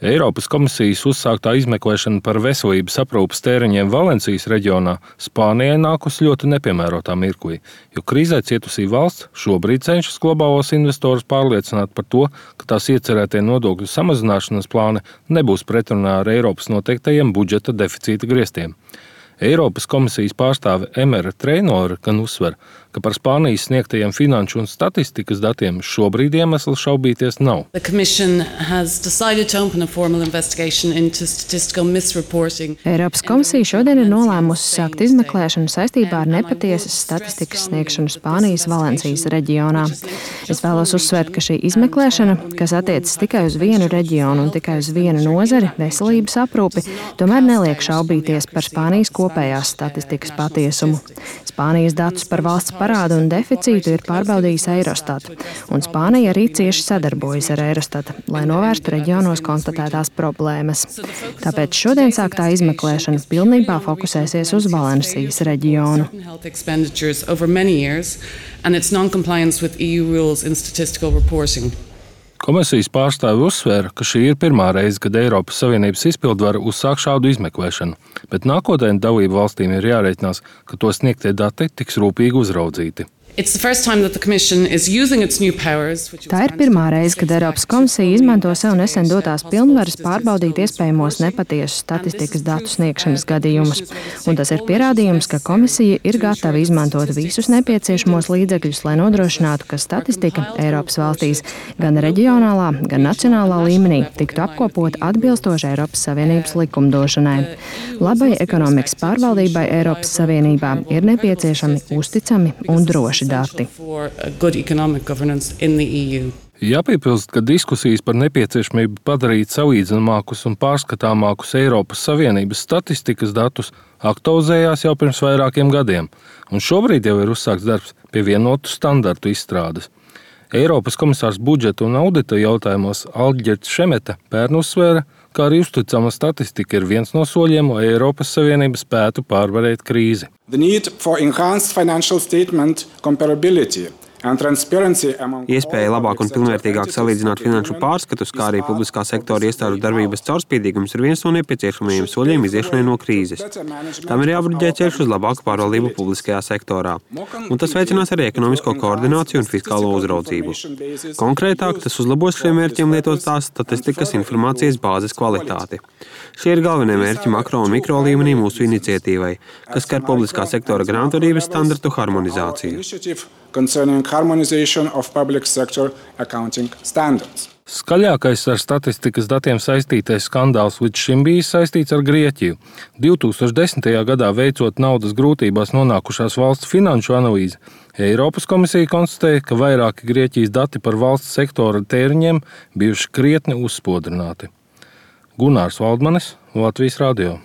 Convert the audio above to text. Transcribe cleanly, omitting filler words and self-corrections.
Eiropas komisijas uzsāktā izmeklēšana par veselības aprūpes tēriņiem Valencijas reģionā Spānijai nākusi ļoti nepiemērotā mirklī, jo krīzē cietusī valsts šobrīd cenšas globālos investorus pārliecināt par to, ka tās iecerētie nodokļu samazināšanas plāni nebūs pretrunā ar Eiropas noteiktajiem budžeta deficīta griestiem. Eiropas komisijas pārstāve Emera Treinore gan uzsver, ka par Spānijas sniegtajiem finanšu un statistikas datiem šobrīd iemesls šaubīties nav. Eiropas komisija šodien ir nolēmusi sākt izmeklēšanu saistībā ar nepatiesas statistikas sniegšanu Spānijas Valencijas reģionā. Es vēlos uzsvērt, ka šī izmeklēšana, kas attiecas tikai uz vienu reģionu un tikai uz vienu nozari, veselības aprūpi, tomēr neliek šaubīties par Spānijas kopējās statistikas patiesumu. Spānijas datus par valsts parādu un deficītu ir pārbaudījis Eurostat, un Spānija arī cieši sadarbojas ar Eurostat, lai novērstu reģionos konstatētās problēmas. Tāpēc šodien sāktā izmeklēšana pilnībā fokusēsies uz Valencijas reģionu. Komisijas pārstāve uzsvēra, ka šī ir pirmā reize, kad Eiropas Savienības izpildvara uzsāk šādu izmeklēšanu, bet nākotnē dalību valstīm ir jārēķinās, ka to sniegtie dati tiks rūpīgi uzraudzīti. Tā ir pirmā reize, kad Eiropas komisija izmanto sev nesen dotās pilnvaras pārbaudīt iespējamos nepatiesu statistikas datu sniegšanas gadījumus. Un tas ir pierādījums, ka komisija ir gatava izmantot visus nepieciešamos līdzekļus, lai nodrošinātu, ka statistika Eiropas valstīs gan reģionālā, gan nacionālā līmenī tiktu apkopota atbilstoši Eiropas Savienības likumdošanai. Labai ekonomikas pārvaldībai Eiropas Savienībā ir nepieciešami uzticami un droši dati. Jāpiebilst, ka diskusijas par nepieciešamību padarīt salīdzināmākus un pārskatāmākus Eiropas Savienības statistikas datus aktualizējās jau pirms vairākiem gadiem, un šobrīd jau ir uzsākts darbs pie vienotu standartu izstrādes. Eiropas komisārs budžeta un audita jautājumos Alģerts Šemeta pērn uzsvēra, ka arī uzticama statistika ir viens no soļiem, lai Eiropas Savienība spētu pārvarēt krīzi. Iespēja labāk un pilnvērtīgāk salīdzināt finanšu pārskatus, kā arī publiskā sektora iestāžu darbības caurspīdīgums ir viens no nepieciešamajiem soļiem iziešanai no krīzes. Tam ir jābruģē ceļš uz labāku pārvaldību publiskajā sektorā, un tas veicinās arī ekonomisko koordināciju un fiskālo uzraudzību. Konkrētāk, tas uzlabos šiem mērķiem lietotās statistikas informācijas bāzes kvalitāti. Šie ir galvenie mērķi makro un mikro līmenī mūsu iniciatīvai, kas skar publiskā sektora grāmatvedības standartu harmonizāciju. Skaļākais ar statistikas datiem saistītais skandāls līdz šim bijis saistīts ar Grieķiju. 2010. gadā veicot naudas grūtībās nonākušās valsts finanšu analīzi, Eiropas komisija konstatēja, ka vairāki Grieķijas dati par valsts sektora tēriņiem bijuši krietni uzspodrināti. Gunārs Valdmanis, Latvijas radio.